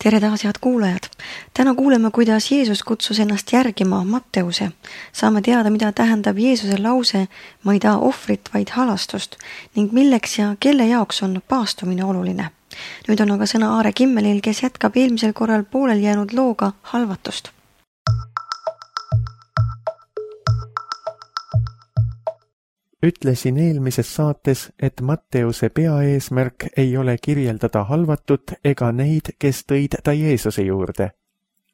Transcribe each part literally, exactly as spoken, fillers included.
Tere taas, head kuulajad! Täna kuuleme, kuidas Jeesus kutsus ennast järgima Matteuse. Saame teada, mida tähendab Jeesuse lause "Ma ei taha ohvrit, vaid halastust" ning milleks ja kelle jaoks on paastumine oluline. Nüüd on aga sõna Aare Kimmelil, kes jätkab eelmisel korral poolel jäänud looga halvatust. Ütlesin eelmises saates, et Matteuse peaeesmärk ei ole kirjeldada halvatut ega neid, kes tõid ta Jeesuse juurde.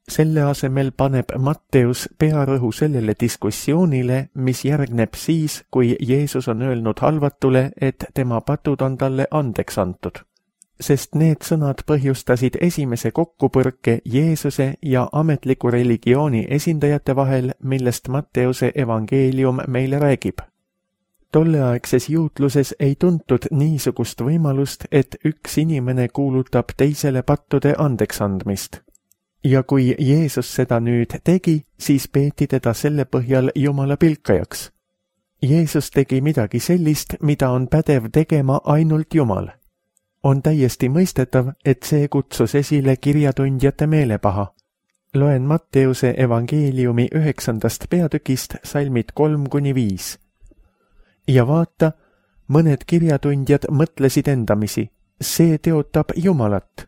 Selle asemel paneb Matteus pearõhu sellele diskussioonile, mis järgneb siis, kui Jeesus on öelnud halvatule, et tema patud on talle andeks antud. Sest need sõnad põhjustasid esimese kokkupõrke Jeesuse ja ametliku religiooni esindajate vahel, millest Matteuse evangeelium meile räägib. Tolleaegses juutluses ei tuntud niisugust võimalust, et üks inimene kuulutab teisele pattude andeksandmist. Ja kui Jeesus seda nüüd tegi, siis peeti teda selle põhjal Jumala pilkajaks. Jeesus tegi midagi sellist, mida on pädev tegema ainult Jumal. On täiesti mõistetav, et see kutsus esile kirjatundjate meelepaha. Loen Matteuse evangeeliumi üheksandast peatükist salmid kolm kuni viis. Ja vaata, mõned kirjatundjad mõtlesid endamisi, see teotab Jumalat.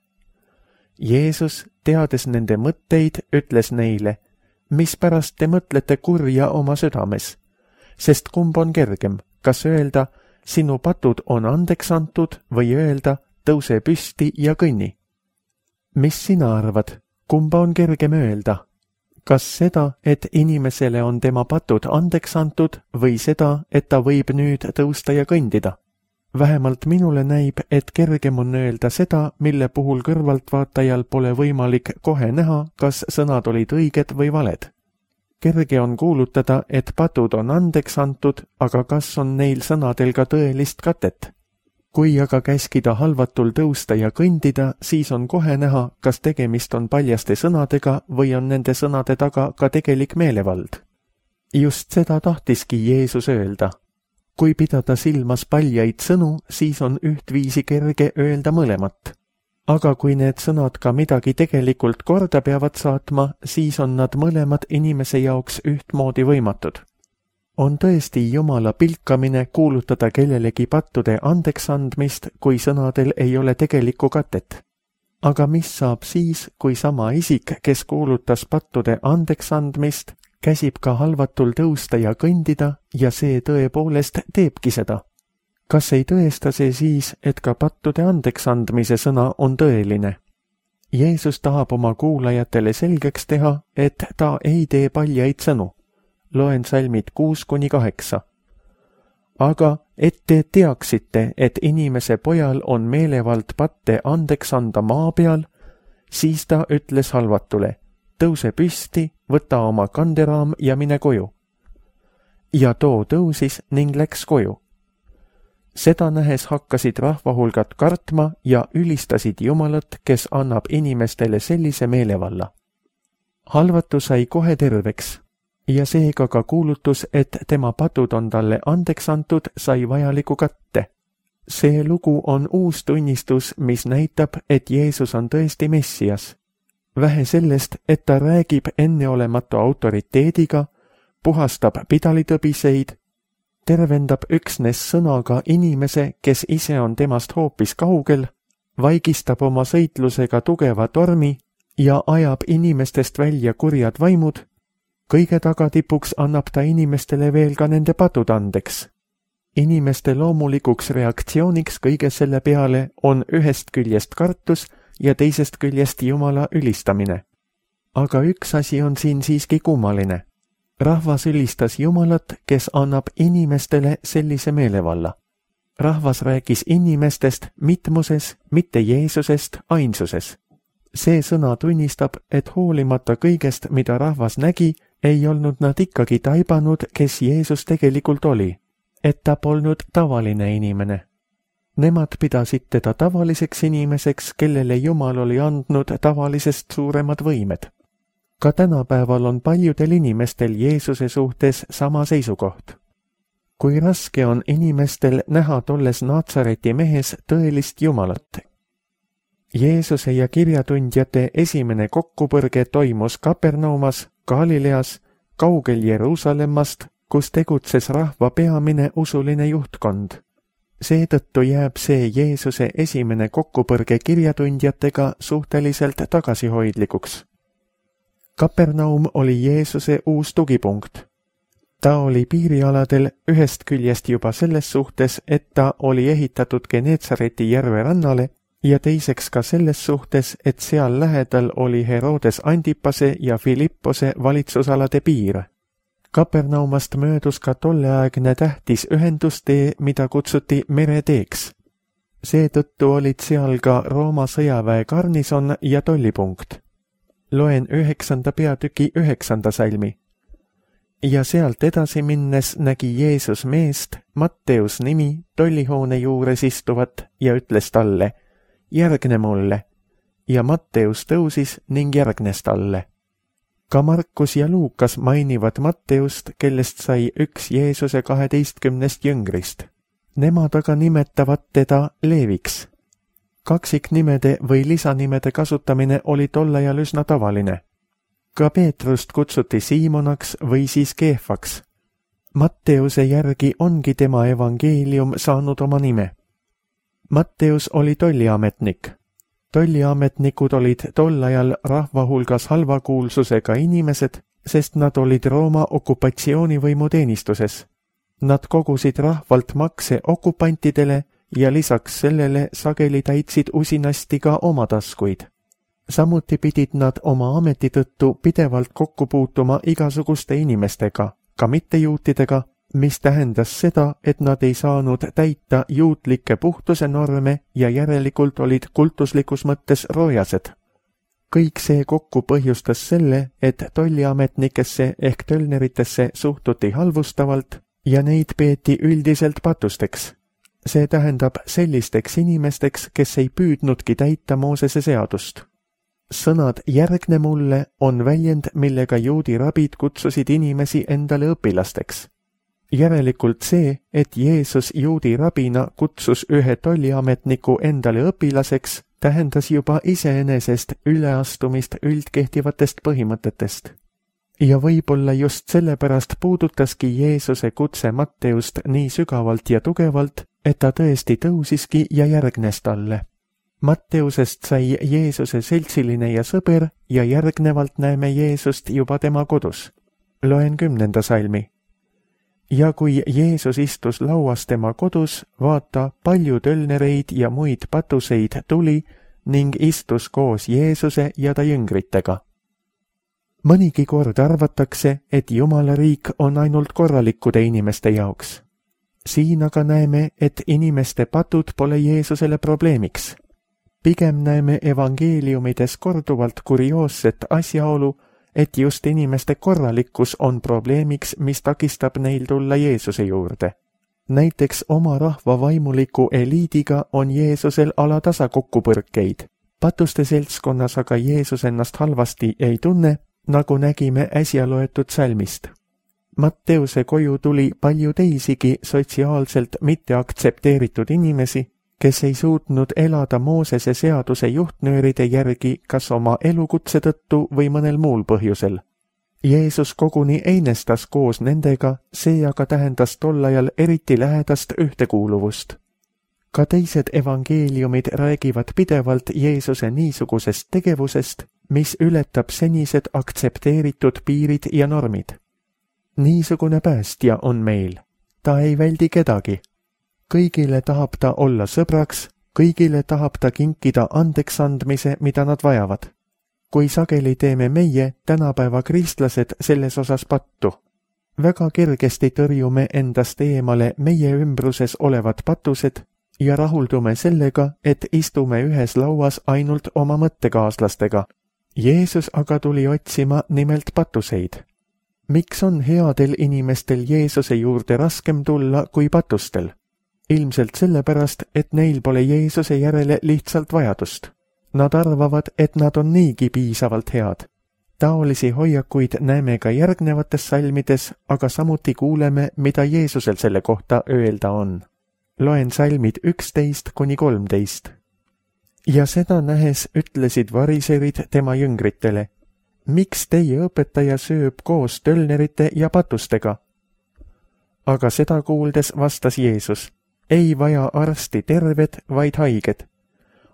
Jeesus, teades nende mõtteid, ütles neile, mispärast te mõtlete kurja oma südames, sest kumb on kergem, kas öelda, sinu patud on andeks antud või öelda, tõuse püsti ja kõnni. Mis sina arvad, kumba on kergem öelda? Kas seda, et inimesele on tema patud andeks antud või seda, et ta võib nüüd tõusta ja kõndida? Vähemalt minule näib, et kergem on öelda seda, mille puhul kõrvaltvaatajal pole võimalik kohe näha, kas sõnad olid õiged või valed. Kerge on kuulutada, et patud on andeks antud, aga kas on neil sõnadel ka tõelist katet? Kui aga käskida halvatul tõusta ja kõndida, siis on kohe näha, kas tegemist on paljaste sõnadega või on nende sõnade taga ka tegelik meelevald. Just seda tahtiski Jeesus öelda. Kui pidada silmas paljaid sõnu, siis on ühtviisi kerge öelda mõlemat. Aga kui need sõnad ka midagi tegelikult korda peavad saatma, siis on nad mõlemad inimese jaoks ühtmoodi võimatud. On tõesti Jumala pilkamine kuulutada kellelegi pattude andeksandmist, kui sõnadel ei ole tegelikku katet. Aga mis saab siis, kui sama isik, kes kuulutas pattude andeksandmist, käsib ka halvatul tõusta ja kõndida ja see tõepoolest teebki seda? Kas ei tõesta see siis, et ka pattude andeksandmise sõna on tõeline? Jeesus tahab oma kuulajatele selgeks teha, et ta ei tee paljaid sõnu. Loen salmid kuus kuni kaheksa. Aga et te teaksite, et inimese pojal on meelevald patte andeks anda maa peal, siis ta ütles halvatule, tõuse püsti, võta oma kanderaam ja mine koju. Ja too tõusis ning läks koju. Seda nähes hakkasid rahvahulgad kartma ja ülistasid Jumalat, kes annab inimestele sellise meelevalla. Halvatu sai kohe terveks. Ja seega ka kuulutus, et tema patud on talle andeks antud, sai vajaliku katte. See lugu on uus tunnistus, mis näitab, et Jeesus on tõesti Messias. Vähe sellest, et ta räägib enneolematu autoriteediga, puhastab pidalitõbiseid, tervendab üksnes sõnaga inimese, kes ise on temast hoopis kaugel, vaigistab oma sõitlusega tugeva tormi ja ajab inimestest välja kurjad vaimud. Kõige tagatipuks annab ta inimestele veel ka nende patud andeks. Inimeste loomulikuks reaktsiooniks kõige selle peale on ühest küljest kartus ja teisest küljest Jumala ülistamine. Aga üks asi on siin siiski kummaline. Rahvas ülistas Jumalat, kes annab inimestele sellise meelevalla. Rahvas rääkis inimestest mitmuses, mitte Jeesusest ainsuses. See sõna tunnistab, et hoolimata kõigest, mida rahvas nägi, ei olnud nad ikkagi taibanud, kes Jeesus tegelikult oli, et ta polnud tavaline inimene. Nemad pidasid teda tavaliseks inimeseks, kellele Jumal oli andnud tavalisest suuremad võimed. Ka tänapäeval on paljudel inimestel Jeesuse suhtes sama seisukoht. Kui raske on inimestel näha tolles Naatsareti mehes tõelist Jumalat, Jeesuse ja kirjatundjate esimene kokkupõrge toimus Kapernaumas, Galileas, kaugel Jeruusalemmast, kus tegutses rahva peamine usuline juhtkond. Seetõttu jääb see Jeesuse esimene kokkupõrge kirjatundjatega suhteliselt tagasihoidlikuks. Kapernaum oli Jeesuse uus tugipunkt. Ta oli piirialadel ühest küljest juba selles suhtes, et ta oli ehitatud Geneetsareti järve rannale ja teiseks ka selles suhtes, et seal lähedal oli Herodes Antipase ja Filippose valitsusalade piir. Kapernaumast möödus ka tolleaegne tähtis ühendustee, mida kutsuti mereteeks. Seetõttu olid seal ka Rooma sõjaväe garnison ja tollipunkt. Loen üheksanda peatüki üheksanda salmi. Ja sealt edasi minnes nägi Jeesus meest, Matteus nimi, tollihoone juures istuvat ja ütles talle, järgne mulle. Ja Matteus tõusis ning järgnes talle. Ka Markus ja Luukas mainivad Matteust, kellest sai üks Jeesuse kaheteistkümnest jüngrist. Nemad aga nimetavad teda Leeviks. Kaksiknimede või lisanimede kasutamine oli tol ajal üsna tavaline. Ka Peetrust kutsuti Siimonaks või siis Keefaks. Matteuse järgi ongi tema evangeelium saanud oma nime. Matteus oli tolliametnik. Tolliametnikud olid tol ajal rahva hulgas halvakuulsusega inimesed, sest nad olid Rooma okupatsioonivõimu teenistuses. Nad kogusid rahvalt makse okupantidele ja lisaks sellele sageli täitsid usinasti ka oma taskuid. Samuti pidid nad oma ameti tõttu pidevalt kokku puutuma igasuguste inimestega, ka mittejuutidega, mis tähendas seda, et nad ei saanud täita juutlikke puhtuse norme ja järelikult olid kultuslikus mõttes roojased. Kõik see kokku põhjustas selle, et tolliametnikesse ehk tölneritesse suhtuti halvustavalt ja neid peeti üldiselt patusteks. See tähendab sellisteks inimesteks, kes ei püüdnudki täita Moosese seadust. Sõnad järgne mulle on väljend, millega juudi rabid kutsusid inimesi endale õpilasteks. Järelikult see, et Jeesus juudi rabina kutsus ühe tolliametniku endale õpilaseks, tähendas juba iseenesest üleastumist üldkehtivatest põhimõtetest. Ja võib-olla just sellepärast puudutaski Jeesuse kutse Matteust nii sügavalt ja tugevalt, et ta tõesti tõusiski ja järgnes talle. Matteusest sai Jeesuse seltsiline ja sõber ja järgnevalt näeme Jeesust juba tema kodus. Loen kümnenda salmi. Ja kui Jeesus istus lauas tema kodus, vaata, palju tölnereid ja muid patuseid tuli ning istus koos Jeesuse ja ta jüngritega. Mõnigi kord arvatakse, et Jumala riik on ainult korralikkude inimeste jaoks. Siin aga näeme, et inimeste patud pole Jeesusele probleemiks. Pigem näeme evangeeliumides korduvalt kurioosset asjaolu, et just inimeste korralikkus on probleemiks, mis takistab neil tulla Jeesuse juurde. Näiteks oma rahva vaimuliku eliidiga on Jeesusel alatasa kokkupõrkeid. Patuste seltskonnas aga Jeesus ennast halvasti ei tunne, nagu nägime äsja loetud salmist. Matteuse koju tuli palju teisigi sotsiaalselt mitte aktsepteeritud inimesi, kes ei suutnud elada Moosese seaduse juhtnööride järgi kas oma elukutse tõttu või mõnel muul põhjusel. Jeesus koguni einestas koos nendega, see aga tähendas tol ajal eriti lähedast ühtekuuluvust. Ka teised evangeeliumid räägivad pidevalt Jeesuse niisugusest tegevusest, mis ületab senised aktsepteeritud piirid ja normid. Niisugune päästja on meil. Ta ei väldi kedagi. Kõigile tahab ta olla sõbraks, kõigile tahab ta kinkida andeksandmise, mida nad vajavad. Kui sageli teeme meie, tänapäeva kristlased, selles osas pattu. Väga kergesti tõrjume endast eemale meie ümbruses olevad patused ja rahuldume sellega, et istume ühes lauas ainult oma mõttekaaslastega. Jeesus aga tuli otsima nimelt patuseid. Miks on headel inimestel Jeesuse juurde raskem tulla kui patustel? Ilmselt sellepärast, et neil pole Jeesuse järele lihtsalt vajadust. Nad arvavad, et nad on niigi piisavalt head. Taolisi hoiakuid näeme ka järgnevates salmides, aga samuti kuuleme, mida Jeesusel selle kohta öelda on. Loen salmid üksteist kuni kolmteist. Ja seda nähes ütlesid variserid tema jüngritele: miks teie õpetaja sööb koos tölnerite ja patustega? Aga seda kuuldes vastas Jeesus: ei vaja arsti terved, vaid haiged.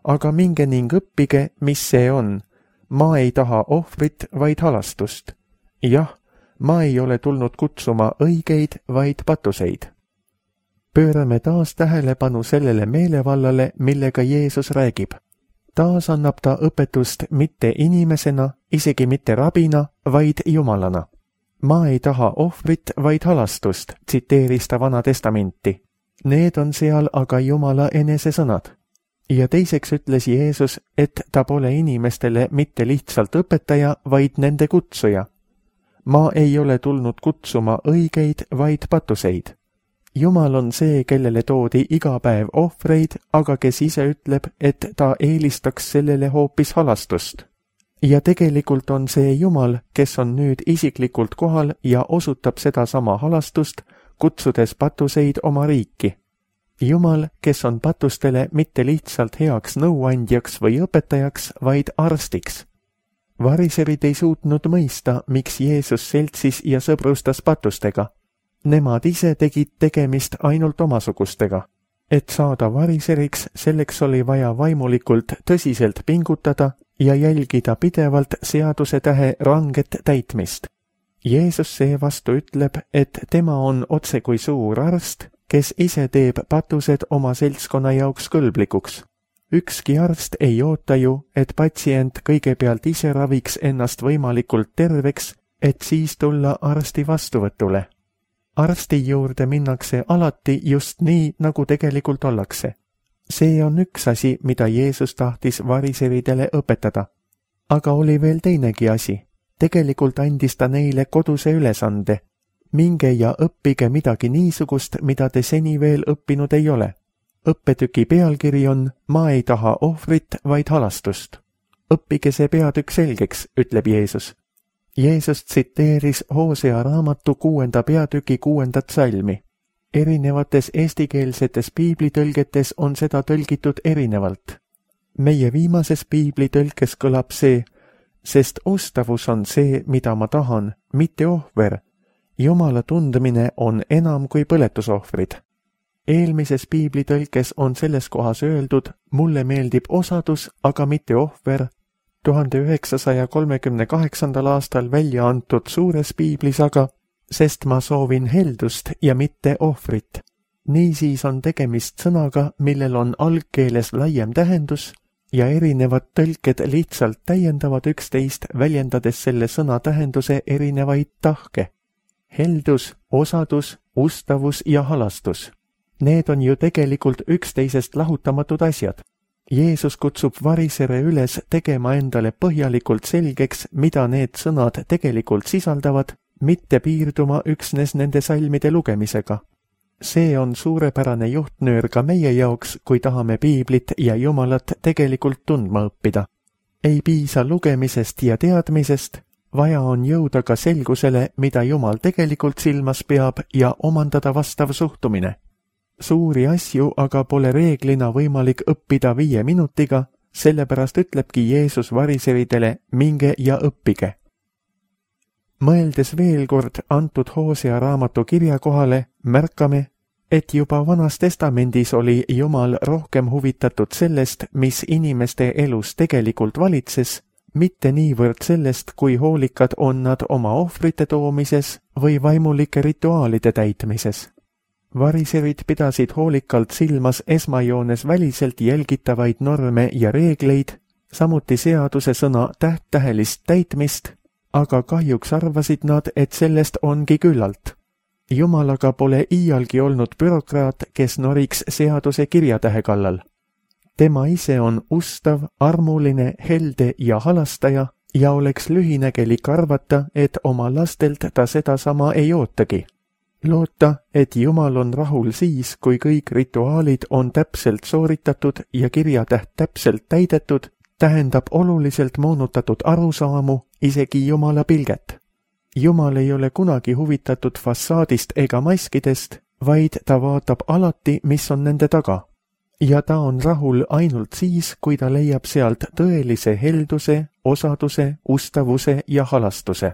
Aga minge ning õppige, mis see on. Ma ei taha ohvrit, vaid halastust. Jah, ma ei ole tulnud kutsuma õigeid, vaid patuseid. Pöörame taas tähelepanu sellele meelevallale, millega Jeesus räägib. Taas annab ta õpetust mitte inimesena, isegi mitte rabina, vaid jumalana. Ma ei taha ohvrit, vaid halastust, tsiteeris ta Vana Testamenti. Need on seal aga Jumala enese sõnad. Ja teiseks ütles Jeesus, et ta pole inimestele mitte lihtsalt õpetaja, vaid nende kutsuja. Ma ei ole tulnud kutsuma õigeid, vaid patuseid. Jumal on see, kellele toodi iga päev ohvreid, aga kes ise ütleb, et ta eelistaks sellele hoopis halastust. Ja tegelikult on see Jumal, kes on nüüd isiklikult kohal ja osutab seda sama halastust, kutsudes patuseid oma riiki. Jumal, kes on patustele mitte lihtsalt heaks nõuandjaks või õpetajaks, vaid arstiks. Variserid ei suutnud mõista, miks Jeesus seltsis ja sõbrustas patustega. Nemad ise tegid tegemist ainult omasugustega. Et saada variseriks, selleks oli vaja vaimulikult tõsiselt pingutada ja jälgida pidevalt seaduse tähe ranget täitmist. Jeesus seevastu ütleb, et tema on otse kui suur arst, kes ise teeb patused oma seltskonna jaoks kõlblikuks. Ükski arst ei oota ju, et patsient kõigepealt ise raviks ennast võimalikult terveks, et siis tulla arsti vastuvõtule. Arsti juurde minnakse alati just nii, nagu tegelikult ollakse. See on üks asi, mida Jeesus tahtis variseridele õpetada. Aga oli veel teinegi asi. Tegelikult andis ta neile koduse ülesande. Minge ja õppige midagi niisugust, mida te seni veel õppinud ei ole. Õppetüki pealkiri on Ma ei taha ohvrit, vaid halastust. Õppige see peatükk selgeks, ütleb Jeesus. Jeesus tsiteeris Hosea raamatu kuuenda peatüki kuuendat salmi. Erinevates eestikeelsetes piiblitõlgetes on seda tõlgitud erinevalt. Meie viimases piiblitõlkes kõlab see, sest ustavus on see, mida ma tahan, mitte ohver. Jumala tundmine on enam kui põletusohvrid. Eelmises piiblitõlkes on selles kohas öeldud, mulle meeldib osadus, aga mitte ohver. tuhande üheksasaja kolmekümne kaheksandal aastal välja antud suures piiblis aga, sest ma soovin heldust ja mitte ohvrit. Niisiis on tegemist sõnaga, millel on algkeeles laiem tähendus ja erinevad tõlked lihtsalt täiendavad üksteist, väljendades selle sõna tähenduse erinevaid tahke. Heldus, osadus, ustavus ja halastus. Need on ju tegelikult üksteisest lahutamatud asjad. Jeesus kutsub varisere üles tegema endale põhjalikult selgeks, mida need sõnad tegelikult sisaldavad, mitte piirduma üksnes nende salmide lugemisega. See on suurepärane juhtnöör ka meie jaoks, kui tahame piiblit ja Jumalat tegelikult tundma õppida. Ei piisa lugemisest ja teadmisest, vaja on jõuda ka selgusele, mida Jumal tegelikult silmas peab ja omandada vastav suhtumine. Suuri asju aga pole reeglina võimalik õppida viie minutiga, sellepärast ütlebki Jeesus variseridele, minge ja õppige. Mõeldes veel kord antud Hosea raamatu kirja kohale, märkame, et juba Vanas Testamendis oli Jumal rohkem huvitatud sellest, mis inimeste elus tegelikult valitses, mitte niivõrd sellest, kui hoolikad on nad oma ohvrite toomises või vaimulike rituaalide täitmises. Variserid pidasid hoolikalt silmas esmajoones väliselt jälgitavaid norme ja reegleid, samuti seaduse sõna täht-tähelist täitmist, aga kahjuks arvasid nad, et sellest ongi küllalt. Jumal aga pole iialgi olnud bürokraat, kes noriks seaduse kirjatähe kallal. Tema ise on ustav, armuline, helde ja halastaja ja oleks lühinägelik arvata, et oma lastelt ta sedasama ei ootagi. Loota, et Jumal on rahul siis, kui kõik rituaalid on täpselt sooritatud ja kirjatäht täpselt täidetud, tähendab oluliselt moonutatud arusaamu, isegi Jumala pilget. Jumal ei ole kunagi huvitatud fassaadist ega maskidest, vaid ta vaatab alati, mis on nende taga. ja ta on rahul ainult siis, kui ta leiab sealt tõelise helduse, osaduse, ustavuse ja halastuse.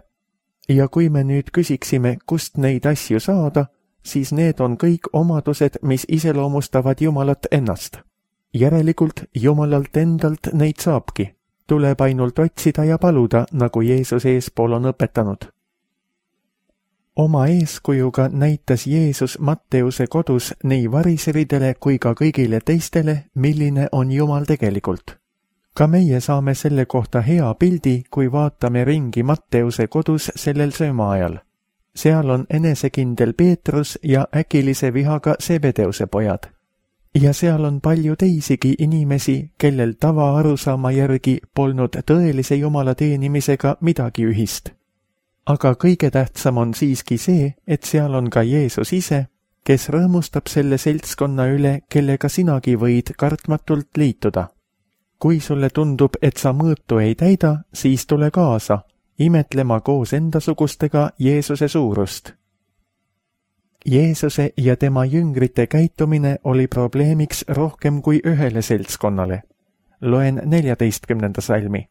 Ja kui me nüüd küsiksime, kust neid asju saada, siis need on kõik omadused, mis iseloomustavad Jumalat ennast. Järelikult Jumalalt endalt neid saabki. Tuleb ainult otsida ja paluda, nagu Jeesus eespool on õpetanud. Oma eeskujuga näitas Jeesus Matteuse kodus nii variseridele kui ka kõigile teistele, milline on Jumal tegelikult. Ka meie saame selle kohta hea pildi, kui vaatame ringi Matteuse kodus sellel söömaajal. Seal on enesekindel Peetrus ja äkilise vihaga Sebedeuse pojad. Ja seal on palju teisigi inimesi, kellel tava arusaama järgi polnud tõelise Jumala teenimisega midagi ühist. Aga kõige tähtsam on siiski see, et seal on ka Jeesus ise, kes rõõmustab selle seltskonna üle, kellega sinagi võid kartmatult liituda. Kui sulle tundub, et sa mõõtu ei täida, siis tule kaasa, imetlema koos endasugustega Jeesuse suurust. Jeesuse ja tema jüngrite käitumine oli probleemiks rohkem kui ühele seltskonnale. Loen neljateistkümnenda salmi.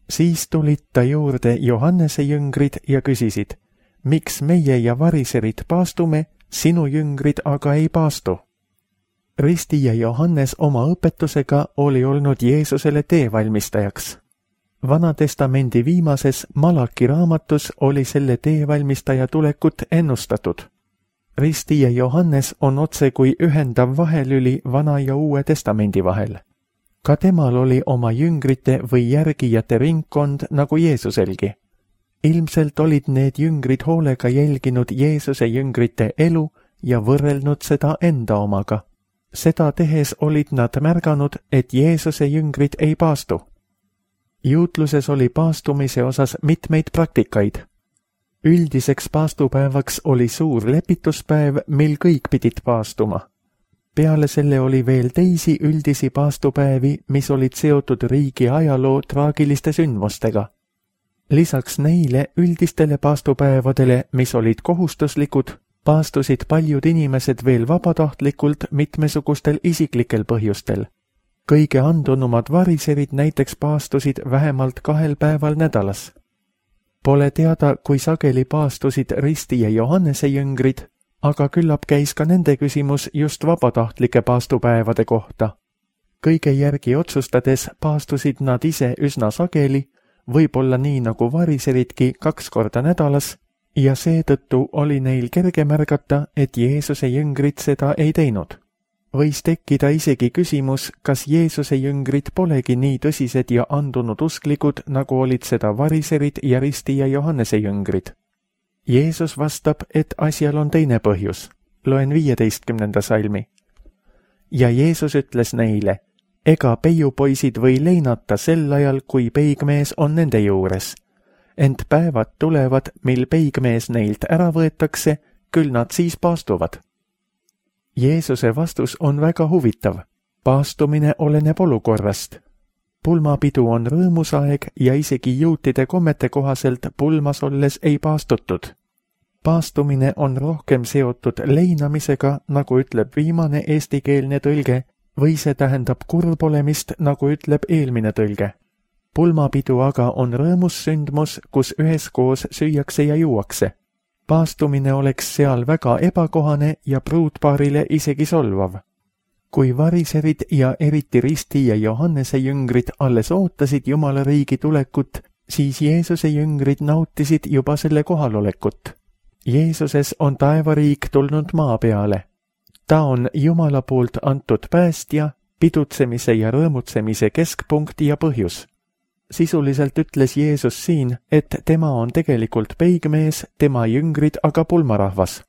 Siis tulid ta juurde Johannese jüngrid ja küsisid, miks meie ja variserid paastume, sinu jüngrid aga ei paastu. Ristija Johannes oma õpetusega oli olnud Jeesusele teevalmistajaks. Vanatestamendi viimases Malaki raamatus oli selle teevalmistaja tulekut ennustatud. Ristija Johannes on otse kui ühendav vahelüli Vana ja Uue testamendi vahel. Ka temal oli oma jüngrite või järgijate ringkond nagu Jeesuselgi. Ilmselt olid need jüngrid hoolega jälginud Jeesuse jüngrite elu ja võrrelnud seda enda omaga. Seda tehes olid nad märganud, et Jeesuse jüngrid ei paastu. Juutluses oli paastumise osas mitmeid praktikaid. Üldiseks paastupäevaks oli suur lepituspäev, mil kõik pidid paastuma. Peale selle oli veel teisi üldisi paastupäevi, mis olid seotud riigi ajaloo traagiliste sündmustega. Lisaks neile üldistele paastupäevadele, mis olid kohustuslikud, paastusid paljud inimesed veel vabatahtlikult mitmesugustel isiklikel põhjustel. Kõige andunumad variserid näiteks paastusid vähemalt kahel päeval nädalas. Pole teada, kui sageli paastusid Ristija Johannese jüngrid, aga küllap käis ka nende küsimus just vabatahtlike paastupäevade kohta. Kõige järgi otsustades paastusid nad ise üsna sageli, võib-olla nii nagu variseridki kaks korda nädalas, ja seetõttu oli neil kerge märgata, et Jeesuse jüngrid seda ei teinud. Võis tekkida isegi küsimus, kas Jeesuse jüngrid polegi nii tõsised ja andunud usklikud, nagu olid seda variserid ja Ristija Johannese jüngrid. Jeesus vastab, et asjal on teine põhjus. Loen viieteistkümnenda salmi. Ja Jeesus ütles neile, ega peiupoisid või leinata sel ajal, kui peigmees on nende juures. Ent päevad tulevad, mil peigmees neilt ära võetakse, küll nad siis paastuvad. Jeesuse vastus on väga huvitav. Paastumine oleneb olukorrast. Pulmapidu on rõõmusaeg ja isegi juutide kommete kohaselt pulmas olles ei paastutud. Paastumine on rohkem seotud leinamisega, nagu ütleb viimane eestikeelne tõlge, või see tähendab kurbolemist, nagu ütleb eelmine tõlge. Pulmapidu aga on rõõmussündmus, kus üheskoos süüakse ja juuakse. Paastumine oleks seal väga ebakohane ja pruutpaarile isegi solvav. Kui variserid ja eriti Risti ja Johannese jüngrid alles ootasid Jumala riigi tulekut, siis Jeesuse jüngrid nautisid juba selle kohalolekut. Jeesuses on taevariik tulnud maa peale. Ta on Jumala poolt antud päästja, pidutsemise ja rõõmutsemise keskpunkt ja põhjus. Sisuliselt ütles Jeesus siin, et tema on tegelikult peigmees, tema jüngrid aga pulmarahvas.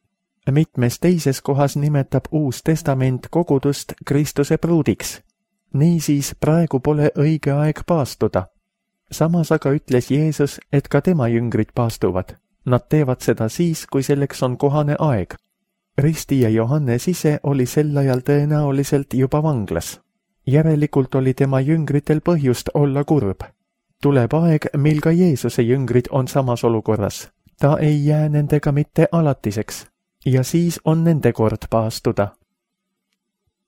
Mitmes teises kohas nimetab Uus Testament kogudust Kristuse pruudiks. Niisiis praegu pole õige aeg paastuda. Samas aga ütles Jeesus, et ka tema jüngrid paastuvad. Nad teevad seda siis, kui selleks on kohane aeg. Risti ja Johannes ise oli sel ajal tõenäoliselt juba vanglas. Järelikult oli tema jüngritel põhjust olla kurb. Tuleb aeg, mil ka Jeesuse jüngrid on samas olukorras. Ta ei jää nendega mitte alatiseks. Ja siis on nende kord paastuda.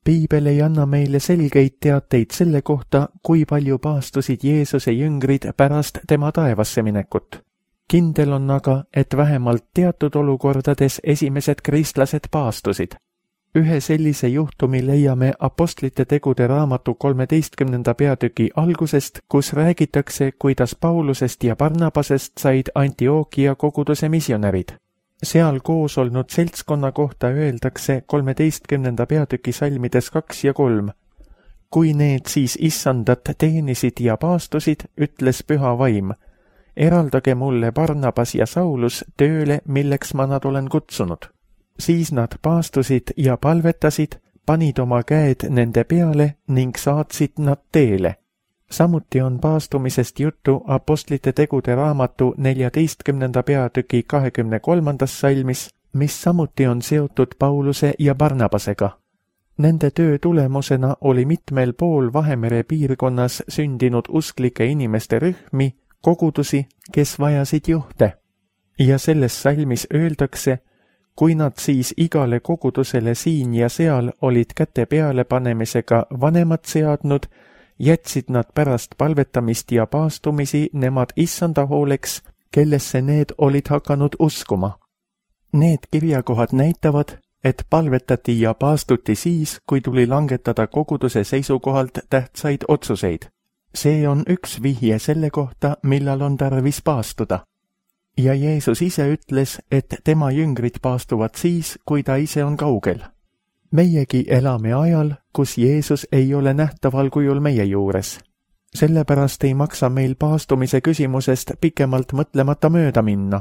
Piibel ei anna meile selgeid teateid selle kohta, kui palju paastusid Jeesuse jüngrid pärast tema taevasse minekut. Kindel on aga, et vähemalt teatud olukordades esimesed kristlased paastusid. Ühe sellise juhtumi leiame Apostlite tegude raamatu kolmeteistkümnenda peatüki algusest, kus räägitakse, kuidas Paulusest ja Barnabasest said Antiochia koguduse misionärid. Seal koos olnud seltskonna kohta öeldakse kolmeteistkümnenda peatüki salmides kaks ja kolm. Kui need siis issandat teenisid ja paastusid, ütles püha vaim, eraldage mulle Barnabas ja Saulus tööle, milleks ma nad olen kutsunud. Siis nad paastusid ja palvetasid, panid oma käed nende peale ning saatsid nad teele. Samuti on paastumisest juttu Apostlite tegude raamatu neljateistkümnenda peatüki kahekümne kolmandas salmis, mis samuti on seotud Pauluse ja Barnabasega. Nende töö tulemusena oli mitmel pool Vahemere piirkonnas sündinud usklike inimeste rühmi, kogudusi, kes vajasid juhte. Ja selles salmis öeldakse, kui nad siis igale kogudusele siin ja seal olid käte peale panemisega vanemad seadnud, jätsid nad pärast palvetamist ja paastumisi nemad issanda hooleks, kellesse need olid hakanud uskuma. Need kirjakohad näitavad, et palvetati ja paastuti siis, kui tuli langetada koguduse seisukohalt tähtsaid otsuseid. See on üks vihje selle kohta, millal on tarvis paastuda. Ja Jeesus ise ütles, et tema jüngrid paastuvad siis, kui ta ise on kaugel. Meiegi elame ajal, kus Jeesus ei ole nähtaval kujul meie juures. Sellepärast ei maksa meil paastumise küsimusest pikemalt mõtlemata mööda minna.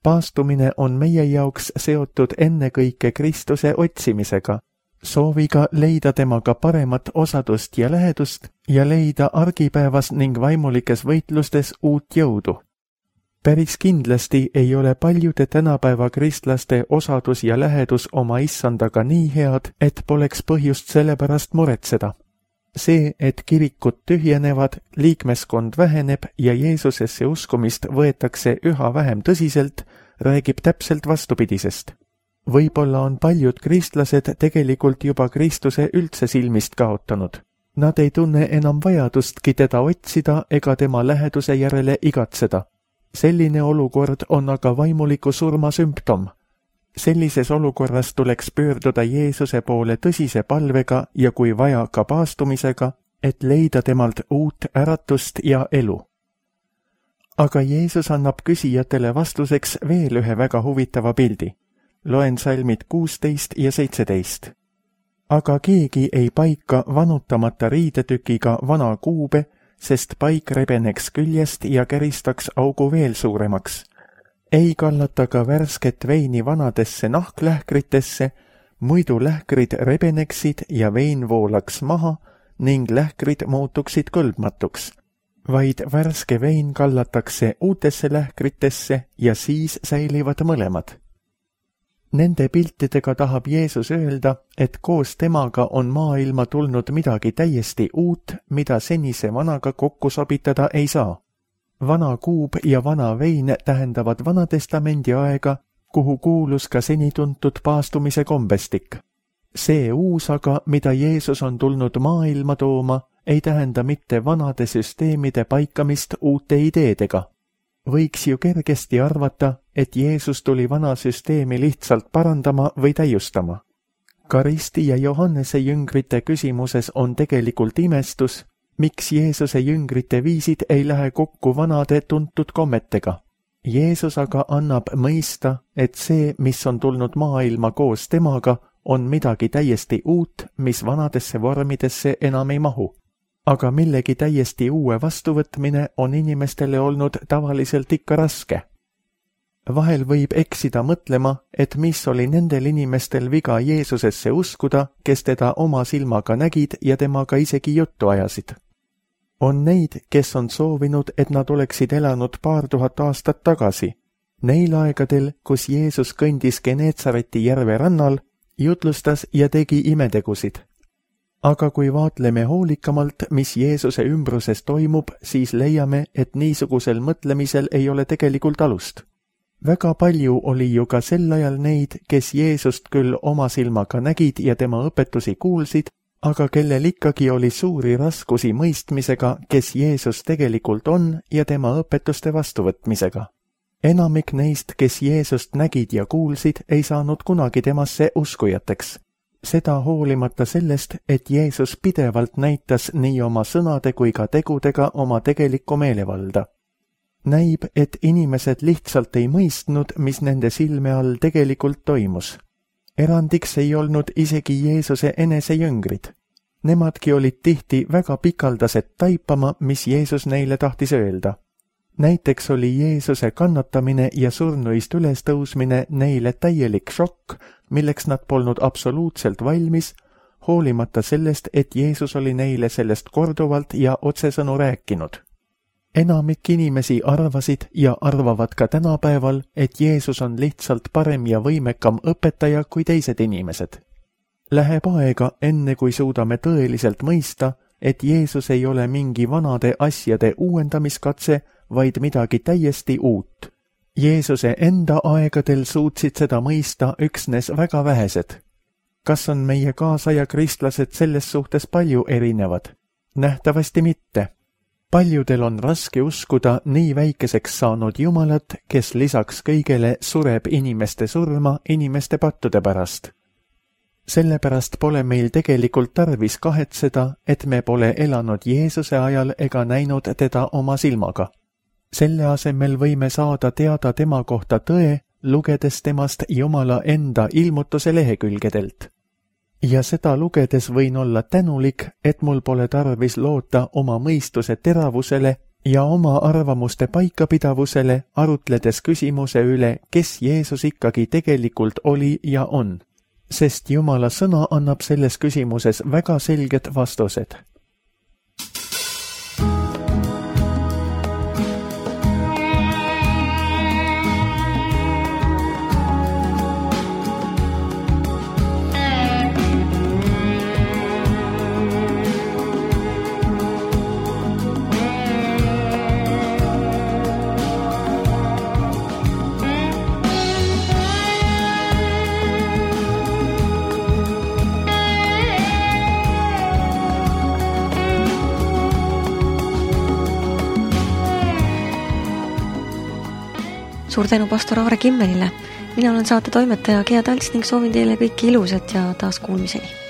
Paastumine on meie jaoks seotud ennekõike Kristuse otsimisega, sooviga leida temaga paremat osadust ja lähedust ja leida argipäevas ning vaimulikes võitlustes uut jõudu. Päris kindlasti ei ole paljude tänapäeva kristlaste osadus ja lähedus oma issandaga nii head, et poleks põhjust selle pärast muretseda. See, et kirikud tühjenevad, liikmeskond väheneb ja Jeesusesse uskumist võetakse üha vähem tõsiselt, räägib täpselt vastupidisest. Võib-olla on paljud kristlased tegelikult juba Kristuse üldse silmist kaotanud. Nad ei tunne enam vajadustki teda otsida ega tema läheduse järele igatseda. Selline olukord on aga vaimuliku surma sümptom. Sellises olukorras tuleks pöörduda Jeesuse poole tõsise palvega ja kui vaja ka paastumisega, et leida temalt uut äratust ja elu. Aga Jeesus annab küsijatele vastuseks veel ühe väga huvitava pildi. Loen salmid kuusteist ja seitseteist. Aga keegi ei paika vanutamata riidetükiga vana kuube, sest paik rebeneks küljest ja käristaks augu veel suuremaks. Ei kallata ka värsket veini vanadesse nahklähkritesse, muidu lähkrid rebeneksid ja vein voolaks maha ning lähkrid muutuksid kõlbmatuks. Vaid värske vein kallatakse uutesse lähkritesse ja siis säilivad mõlemad. Nende piltidega tahab Jeesus öelda, et koos temaga on maailma tulnud midagi täiesti uut, mida senise vanaga kokku sobitada ei saa. Vana kuub ja vana vein tähendavad Vanatestamendi aega, kuhu kuulus ka seni tuntud paastumise kombestik. See uus aga, mida Jeesus on tulnud maailma tooma, ei tähenda mitte vanade süsteemide paikamist uute ideedega. Võiks ju kergesti arvata, et Jeesus tuli vana süsteemi lihtsalt parandama või täiustama. Karisti ja Johannese jüngrite küsimuses on tegelikult imestus, miks Jeesuse jüngrite viisid ei lähe kokku vanade tuntud kommetega. Jeesus aga annab mõista, et see, mis on tulnud maailma koos temaga, on midagi täiesti uut, mis vanadesse vormidesse enam ei mahu. Aga millegi täiesti uue vastuvõtmine on inimestele olnud tavaliselt ikka raske. Vahel võib eksida mõtlema, et mis oli nendel inimestel viga Jeesusesse uskuda, kes teda oma silmaga nägid ja temaga isegi juttu ajasid. On neid, kes on soovinud, et nad oleksid elanud paar tuhat aastat tagasi. Neil aegadel, kus Jeesus kõndis Geneetsareti järve rannal, jutlustas ja tegi imetegusid. Aga kui vaatleme hoolikamalt, mis Jeesuse ümbruses toimub, siis leiame, et niisugusel mõtlemisel ei ole tegelikult alust. väga palju oli ju ka sel ajal neid, kes Jeesust küll oma silmaga nägid ja tema õpetusi kuulsid, aga kellel ikkagi oli suuri raskusi mõistmisega, kes Jeesus tegelikult on ja tema õpetuste vastuvõtmisega. Enamik neist, kes Jeesust nägid ja kuulsid, ei saanud kunagi temasse uskujateks. Seda hoolimata sellest, et Jeesus pidevalt näitas nii oma sõnade kui ka tegudega oma tegelikku meelevalda. Näib, et inimesed lihtsalt ei mõistnud, mis nende silme all tegelikult toimus. Erandiks ei olnud isegi Jeesuse enesejõngrid. Nemadki olid tihti väga pikaldased taipama, mis Jeesus neile tahtis öelda. Näiteks oli Jeesuse kannatamine ja surnuist ülestõusmine neile täielik šokk, milleks nad polnud absoluutselt valmis, hoolimata sellest, et Jeesus oli neile sellest korduvalt ja otsesõnu rääkinud. Enamik inimesi arvasid ja arvavad ka tänapäeval, et Jeesus on lihtsalt parem ja võimekam õpetaja kui teised inimesed. Läheb aega, enne kui suudame tõeliselt mõista, et Jeesus ei ole mingi vanade asjade uuendamiskatse, vaid midagi täiesti uut. Jeesuse enda aegadel suutsid seda mõista üksnes väga vähesed. Kas on meie kaasaja kristlased selles suhtes palju erinevad? Nähtavasti mitte. Paljudel on raske uskuda nii väikeseks saanud Jumalat, kes lisaks kõigele sureb inimeste surma inimeste pattude pärast. Sellepärast pole meil tegelikult tarvis kahetseda, et me pole elanud Jeesuse ajal ega näinud teda oma silmaga. Selle asemel võime saada teada tema kohta tõe, lugedes temast Jumala enda ilmutuse lehekülgedelt. Ja seda lugedes võin olla tänulik, et mul pole tarvis loota oma mõistuse teravusele ja oma arvamuste paikapidavusele, arutledes küsimuse üle, kes Jeesus ikkagi tegelikult oli ja on. Sest Jumala sõna annab selles küsimuses väga selged vastused. Suur tänu pastor Aare Kimmelile. Mina olen saate toimetaja Gea Talts ning soovin teile kõiki ilusat ja taas kuulmiseni.